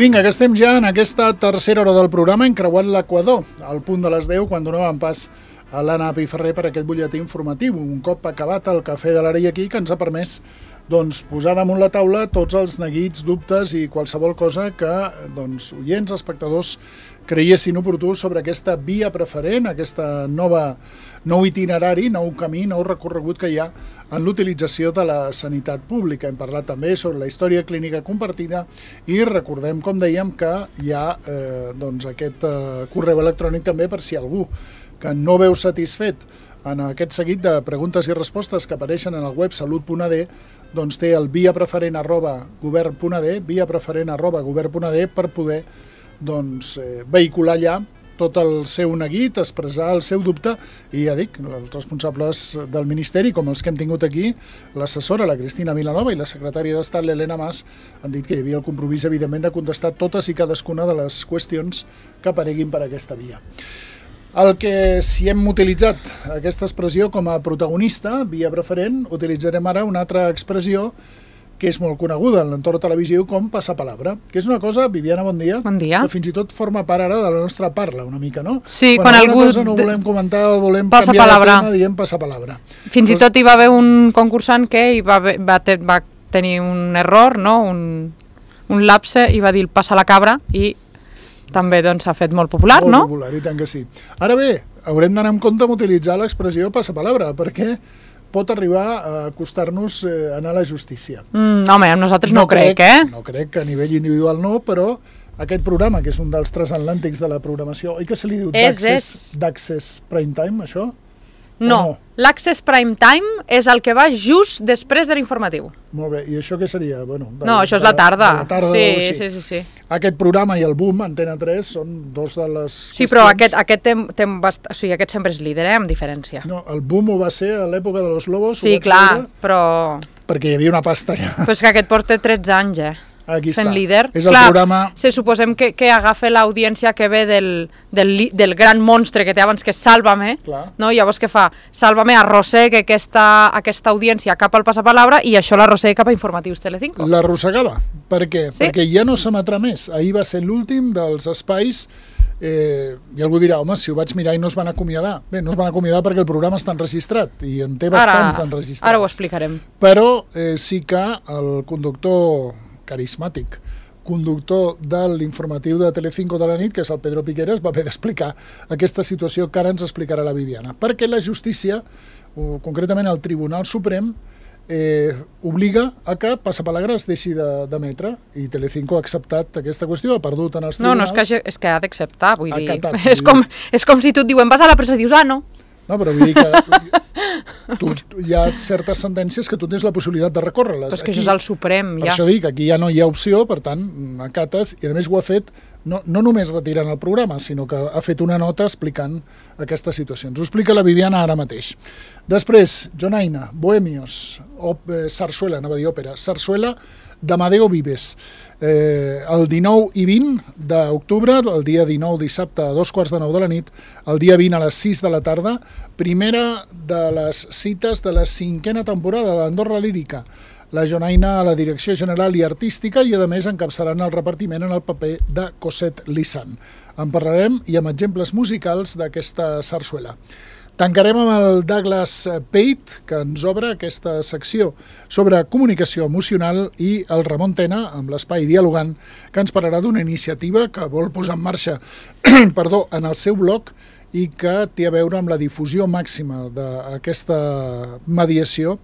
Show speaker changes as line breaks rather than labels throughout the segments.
vinga, que estem ja en aquesta tercera hora del programa, hem creuat l'Equador, al punt de les 10, quan donàvem pas a l'Anna Piferrer per aquest butlletí informatiu. Un cop acabat el cafè de l'Ara i aquí, que ens ha permès posar damunt la taula tots els neguits, dubtes i qualsevol cosa que oients, espectadors, creiessin oportú sobre aquesta via preferent, aquesta nou itinerari, nou camí, nou recorregut que hi ha en l'utilització de la sanitat pública. Hem parlat també sobre la història clínica compartida i recordem, com dèiem, que hi ha aquest correu electrònic també per si algú que no veu satisfet en aquest seguit de preguntes i respostes que apareixen en el web salut.ad, doncs té el viapreferent@govern.ad, viapreferent@govern.ad per poder vehicular allà tot el seu neguit, expressar el seu dubte i ja dic, els responsables del Ministeri, com els que hem tingut aquí, l'assessora, la Cristina Vilanova, i la secretària d'Estat, l'Helena Mas, han dit que hi havia el compromís, evidentment, de contestar totes i cadascuna de les qüestions que apareguin per aquesta via. El que, si hem utilitzat aquesta expressió com a protagonista, via preferent, utilitzarem ara una altra expressió que és molt coneguda en l'entorn televisiu com passapalabra, que és una cosa, Viviana, bon dia, que fins i tot forma part ara de la nostra parla, una mica, no?
Sí, quan algú
cosa no volem comentar o volem canviar de tema, diem passapalabra.
Fins i tot hi va haver un concursant que va tenir un error, no? un lapse, i va dir passa la cabra, i també s'ha fet molt popular, no?
Molt popular, i tant que sí. Ara bé, haurem d'anar amb compte amb utilitzar l'expressió passapalabra, perquè pot arribar a costar-nos anar a la justícia.
Home, amb nosaltres no crec,
No crec que a nivell individual no, però aquest programa, que és un dels transatlàntics de la programació, oi que se li diu d'Access Prime Time, això?
No, l'Access Prime Time és el que va just després de l'informatiu.
Molt bé, i això què seria?
No, això és la tarda. Sí.
Aquest programa i el Boom, Antena 3, són dos de les qüestions...
Sí, però aquest sempre és líder, amb diferència.
No, el Boom ho va ser a l'època de los Lobos.
Sí, clar, però...
Perquè hi havia una pasta allà.
Però és que aquest porta 13 anys,
Aquí
sent
està.
líder.
És el programa...
Se suposem que agafa l'audiència que ve del gran monstre que té abans, que és Sálvame, no? Llavors què fa? Sálvame arrossega aquesta audiència cap al passapalabra i això l'arrossega cap a Informatius Telecinco.
L'arrossegava. Per què? Sí? Perquè ja no s'emetrà més. Ahir va ser l'últim dels espais i algú dirà, home, si ho vaig mirar i no es van acomiadar. Bé, no es van acomiadar perquè el programa està enregistrat i en té bastants d'enregistrats.
Ara ho explicarem.
Però sí que el conductor carismàtic, conductor de l'informatiu de Telecinco de la nit, que és el Pedro Piqueras, va haver d'explicar aquesta situació que ara ens explicarà la Viviana. Perquè la justícia, concretament el Tribunal Suprem, obliga a que Passapalabra es deixi d'emetre, i Telecinco ha acceptat aquesta qüestió, ha perdut en els tribunals.
No, és que ha d'acceptar, vull dir. És com si tu et diuen, vas a la presó i dius, no.
No, però vull dir que hi ha certes sentències que tu tens la possibilitat de recórrer-les.
Però és que això és el Suprem, ja.
Per això dic, aquí ja no hi ha opció, per tant, acates, i a més ho ha fet no només retirant el programa, sinó que ha fet una nota explicant aquestes situacions. Ho explica la Viviana ara mateix. Després, Jonaina, Bohemios, Sarsuela, anava a dir òpera, Sarsuela d'Amadeo Vives. El 19 i 20 d'octubre, el dia 19 dissabte a 2:15 de la nit, el dia 20 a les 6 de la tarda, primera de les cites de la 5a temporada d'Andorra Lírica. La Jonaina a la direcció general i artística i, a més, encapçaran el repartiment en el paper de Cosette Lissan. En parlarem i amb exemples musicals d'aquesta sarsuela. Tancarem amb el Douglas Pate, que ens obre aquesta secció sobre comunicació emocional, i el Ramon Tena, amb l'Espai Dialogant, que ens parlarà d'una iniciativa que vol posar en marxa en el seu blog i que té a veure amb la difusió màxima d'aquesta mediació.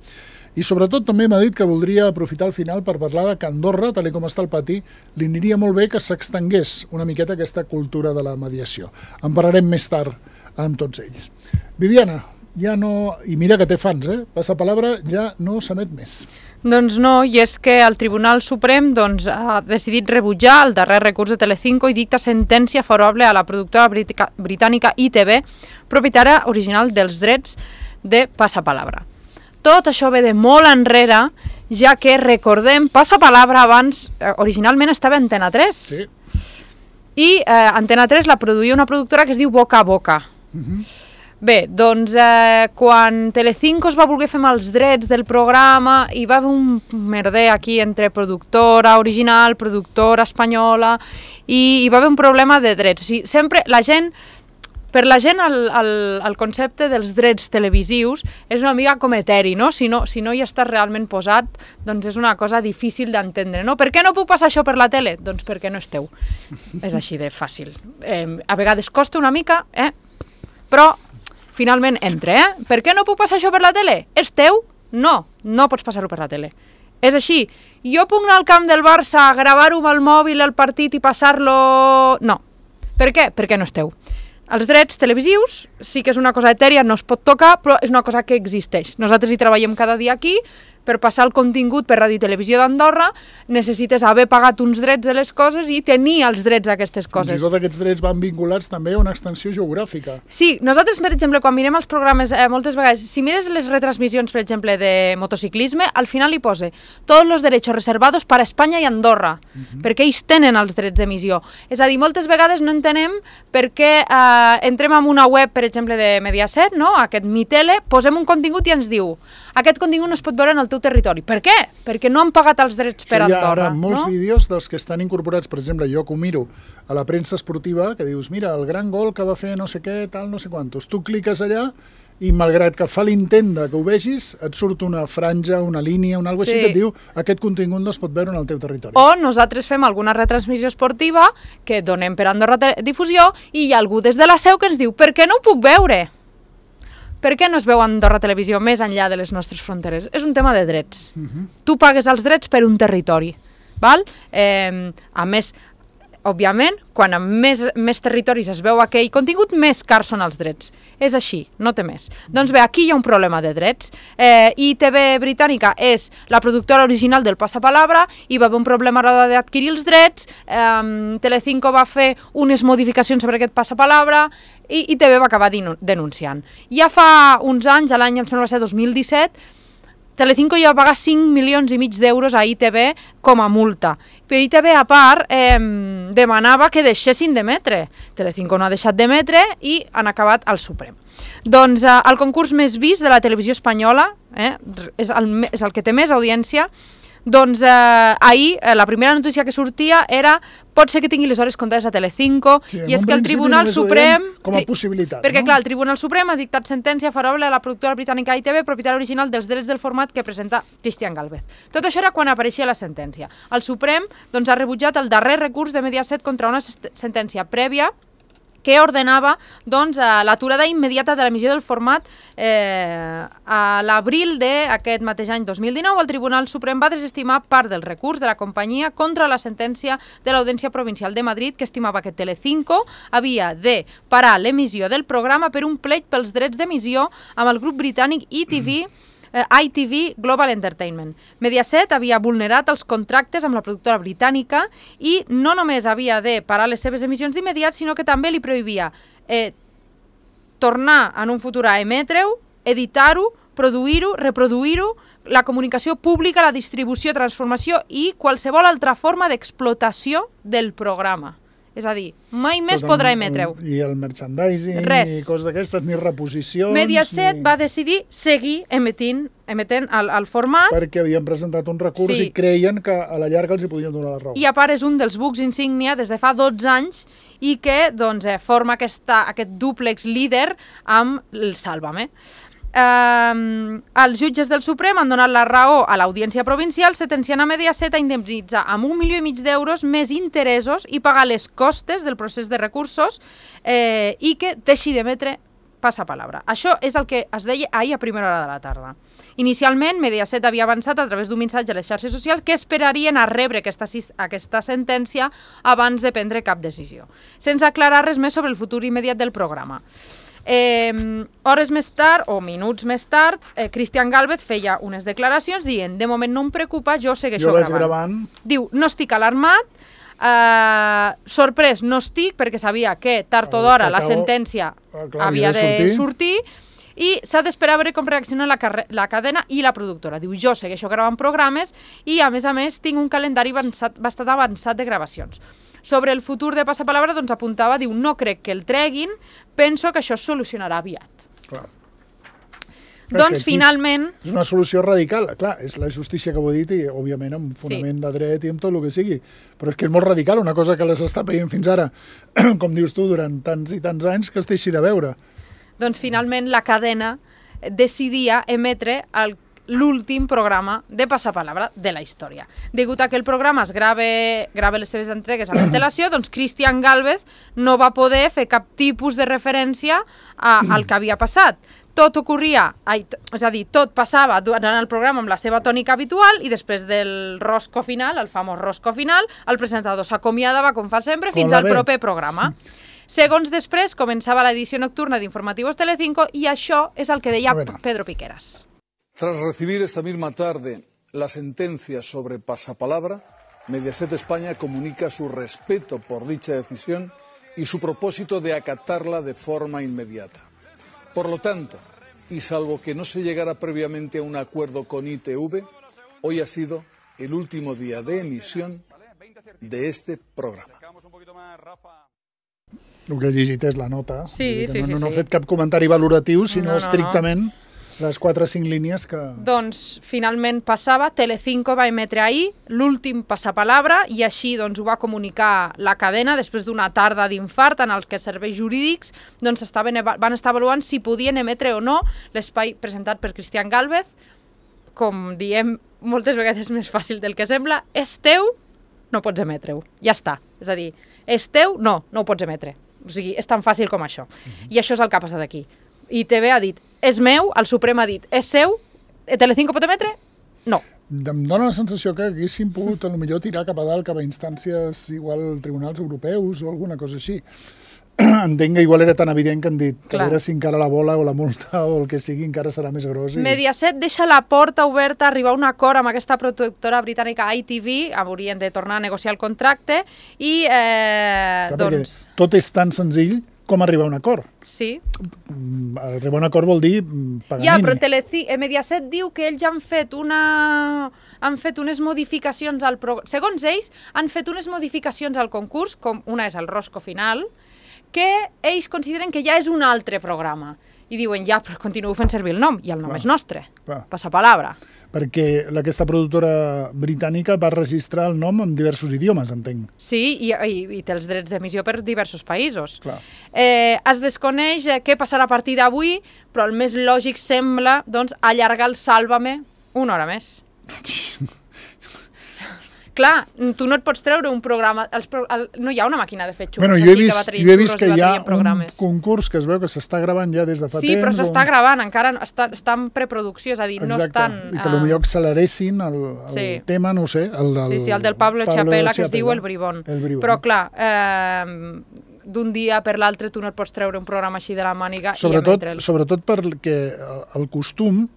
I sobretot també m'ha dit que voldria aprofitar el final per parlar que a Andorra, tal com està el pati, li aniria molt bé que s'extengués una miqueta aquesta cultura de la mediació. En parlarem més tard amb tots ells. Viviana, ja no... I mira que té fans, Passapalabra ja no s'emet més.
Doncs no, i és que el Tribunal Suprem ha decidit rebutjar el darrer recurs de Telecinco i dicta sentència favorable a la productora britànica ITV, propietària original dels drets de Passapalabra. Tot això ve de molt enrere, ja que, recordem, Passapalabra abans originalment estava a Antena 3.
Sí.
I Antena 3 la produïa una productora que es diu Boca a Boca. Bé, doncs quan Telecinco es va voler fer amb els drets del programa hi va haver un merder aquí entre productora original, productora espanyola i hi va haver un problema de drets. O sigui, sempre per la gent el concepte dels drets televisius és una mica com eteri, no? Si no hi estàs realment posat, doncs és una cosa difícil d'entendre, no? Per què no puc passar això per la tele? Doncs perquè no és teu. És així de fàcil. A vegades costa una mica, però finalment entra, Per què no puc passar això per la tele? És teu? No pots passar-ho per la tele. És així. Jo puc anar al camp del Barça, gravar-ho amb el mòbil el partit i passar-lo... No. Per què? Perquè no és teu. Els drets televisius sí que és una cosa etèria, no es pot tocar, però és una cosa que existeix. Nosaltres hi treballem cada dia aquí. Per passar el contingut per Ràdio i Televisió d'Andorra necessites haver pagat uns drets de les coses i tenir els drets d'aquestes coses.
Fins i tot aquests drets van vinculats també a una extensió geogràfica.
Sí, nosaltres, per exemple, quan mirem els programes, moltes vegades, si mires les retransmissions, per exemple, de motociclisme, al final hi posa tots els drets reservados per a Espanya i Andorra, perquè ells tenen els drets d'emissió. És a dir, moltes vegades no entenem per què entrem en una web, per exemple, de Mediaset, no? Aquest Mi Tele, posem un contingut i ens diu aquest contingut no es pot veure en el teu territori. Per què? Perquè no han pagat els drets per Andorra.
Hi ha ara molts vídeos dels que estan incorporats, per exemple, jo que ho miro a la premsa esportiva, que dius, mira, el gran gol que va fer no sé què, tal, no sé quantos. Tu cliques allà i malgrat que fa l'intent que ho vegis, et surt una franja, una línia, una cosa així que et diu aquest contingut no es pot veure en el teu territori.
O nosaltres fem alguna retransmissió esportiva que donem per Andorra Difusió i hi ha algú des de la seu que ens diu per què no ho puc veure? Per què no es veu Andorra Televisió més enllà de les nostres fronteres? És un tema de drets. Tu pagues els drets per un territori. Val? A més, òbviament, quan en més territoris es veu aquell contingut, més cars són els drets. És així, no té més. Doncs bé, aquí hi ha un problema de drets. ITV Britànica és la productora original del Passapalabra, hi va haver un problema a l'hora d'adquirir els drets, Telecinco va fer unes modificacions sobre aquest Passapalabra i ITV va acabar denunciant. Ja fa uns anys, l'any em sembla va ser 2017, Telecinco ja va pagar 5,5 milions d'euros a ITV com a multa. Però ITV, a part, demanava que deixessin d'emetre. Telecinco no ha deixat d'emetre i han acabat al Suprem. Doncs el concurs més vist de la televisió espanyola, és el que té més audiència, doncs ahir la primera notícia que sortia era pot ser que tingui les hores comptades a Telecinco i és que el Tribunal Suprem...
Com a possibilitat,
perquè clar, el Tribunal Suprem ha dictat sentència favorable a la productora britànica ITV, propietat original dels drets del format que presenta Cristian Gálvez. Tot això era quan apareixia la sentència. El Suprem doncs, ha rebutjat el darrer recurs de Mediaset contra una sentència prèvia que ordenava doncs, l'aturada immediata de l'emissió del format a l'abril d'aquest mateix any 2019. El Tribunal Suprem va desestimar part del recurs de la companyia contra la sentència de l'Audiència Provincial de Madrid que estimava que Telecinco havia de parar l'emissió del programa per un pleit pels drets d'emissió amb el grup britànic ITV Global Entertainment. Mediaset havia vulnerat els contractes amb la productora britànica i no només havia de parar les seves emissions d'immediat, sinó que també li prohibia tornar en un futur a emetre-ho, editar-ho, produir-ho, reproduir-ho, la comunicació pública, la distribució, transformació i qualsevol altra forma d'explotació del programa. És a dir, mai més podrà emetre-ho.
I el merchandising,
res.
I coses d'aquestes, ni reposicions...
Mediaset va decidir seguir emetent el format...
Perquè havien presentat un recurs i creien que a la llarga els hi podien donar la raó.
I a part és un dels bucs insígnia des de fa 12 anys i que doncs, forma aquest dúplex líder amb el Sálvame. Els jutges del Suprem han donat la raó a l'Audiència Provincial sentenciant a Mediaset a indemnitzar amb 1,5 milions d'euros més interessos i pagar les costes del procés de recursos i que deixi d'emetre Passapalabra. Això és el que es deia ahir a primera hora de la tarda. Inicialment, Mediaset havia avançat a través d'un missatge a les xarxes socials que esperarien a rebre aquesta sentència abans de prendre cap decisió, sense aclarar res més sobre el futur immediat del programa. Hores més tard, o minuts més tard, Cristian Gálvez feia unes declaracions dient de moment no em preocupa, jo segueixo gravant. Diu, no estic alarmat, sorprès no estic perquè sabia que tard o d'hora la sentència havia de sortir i s'ha d'esperar a veure com reacciona la cadena i la productora. Diu, jo segueixo gravant programes i a més tinc un calendari bastant avançat de gravacions. Sobre el futur de Passapalabra doncs apuntava, diu, no crec que el treguin, penso que això es solucionarà aviat.
Clar.
Doncs finalment...
És una solució radical, clar, és la justícia que ho he dit i òbviament amb fonament de dret i amb tot el que sigui, però és que és molt radical, una cosa que les està veient fins ara, com dius tu, durant tants i tants anys que es deixi de veure.
Doncs finalment la cadena decidia emetre l'últim programa de Passapalabra de la història. Degut a que el programa es grava les seves entregues amb antelació, doncs Cristian Gálvez no va poder fer cap tipus de referència al que havia passat. Tot ocorria, és a dir, tot passava durant el programa amb la seva tònica habitual i després del rosco final, el famós rosco final, el presentador s'acomiadava, com fa sempre, fins al proper programa. Segons després, començava l'edició nocturna d'Informativos Telecinco i això és el que deia Pedro Piqueras.
Tras recibir esta misma tarde la sentencia sobre Pasapalabra, Mediaset España comunica su respeto por dicha decisión y su propósito de acatarla de forma inmediata. Por lo tanto, y salvo que no se llegara previamente a un acuerdo con ITV, hoy ha sido el último día de emisión de este programa.
El que he llegit és la nota.
Sí.
No he fet cap comentari valoratiu, sinó estrictament les 4 o 5 línies que...
Doncs finalment passava, Telecinco va emetre ahir l'últim Passapalabra i així doncs, ho va comunicar la cadena després d'una tarda d'infart en el que serveis jurídics doncs, van estar avaluant si podien emetre o no l'espai presentat per Cristian Gálvez. Com diem moltes vegades més fàcil del que sembla, és teu, no pots emetre-ho. Ja està. És a dir, és teu, no ho pots emetre. O sigui, és tan fàcil com això. I això és el que ha passat aquí. ITV ha dit, és meu, el Suprem ha dit, és seu, Telecinco pot emetre? No.
Em dóna la sensació que haguéssim pogut potser tirar cap a dalt, cap a instàncies igual tribunals europeus o alguna cosa així. Entenc que igual era tan evident que han dit que a veure si encara la bola o la multa o el que sigui encara serà més gros.
Mediaset deixa la porta oberta a arribar a un acord amb aquesta productora britànica ITV, haurien de tornar a negociar el contracte i doncs...
Tot és tan senzill com arribar a un acord.
Sí.
Arribar a un acord vol dir paganini.
Ja, però Mediaset diu que ells han fet unes modificacions al programa. Segons ells, han fet unes modificacions al concurs, com una és el rosco final, que ells consideren que ja és un altre programa. I diuen, ja, però continueu fent servir el nom, i el nom és nostre. Passapalabra.
Perquè aquesta productora britànica va registrar el nom en diversos idiomes, entenc.
Sí, i té els drets d'emissió per diversos països. Es desconeix què passarà a partir d'avui, però el més lògic sembla doncs, allargar el Sálvame una hora més. Clar, tu no et pots treure un programa... No hi ha una màquina de fer xurros aquí que va traient xurros i va traient programes. Jo he vist que hi ha un
concurs que es veu que s'està gravant ja des de fa temps.
Sí, però s'està gravant, encara està en preproducció, és a dir, no estan...
I que potser acceleressin el tema, no ho sé, el
del Pablo Chapela, que es diu El Bribón. Però clar, d'un dia per l'altre tu no et pots treure un programa així de la màniga i emetre'l. Sobretot
perquè el costum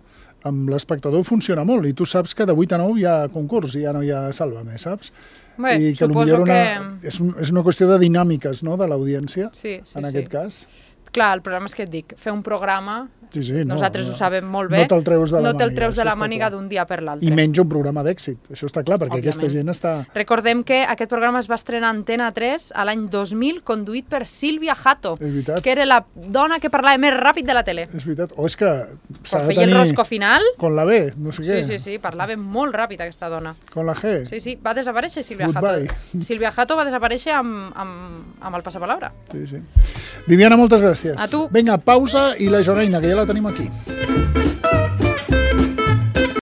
amb l'espectador funciona molt i tu saps que de 8 a 9 hi ha concurs i ja no hi ha Sálvame, saps?
Bé, suposo que...
És una qüestió de dinàmiques, no?, de l'audiència, en aquest cas.
Clar, el problema és que et dic, fer un programa... Nosaltres ho sabem molt bé.
No te'l treus
de la màniga d'un dia per l'altre.
I menys un programa d'èxit, això està clar, perquè aquesta gent està...
Recordem que aquest programa es va estrenar a Antena 3 a l'any 2000, conduït per Sílvia Jato, que era la dona que parlava més ràpid de la tele.
És veritat, o és que s'ha de
tenir... el rosco final...
Con la B, no sé què.
Sí, parlava molt ràpid aquesta dona.
Con la G.
Sí, va desaparèixer Sílvia Jato. Sílvia Jato va desaparèixer amb el Passapalabra.
Sí. Viviana, moltes gràcies.
A tu.
Vinga, pausa i la Joreina, que ja la tenim aquí.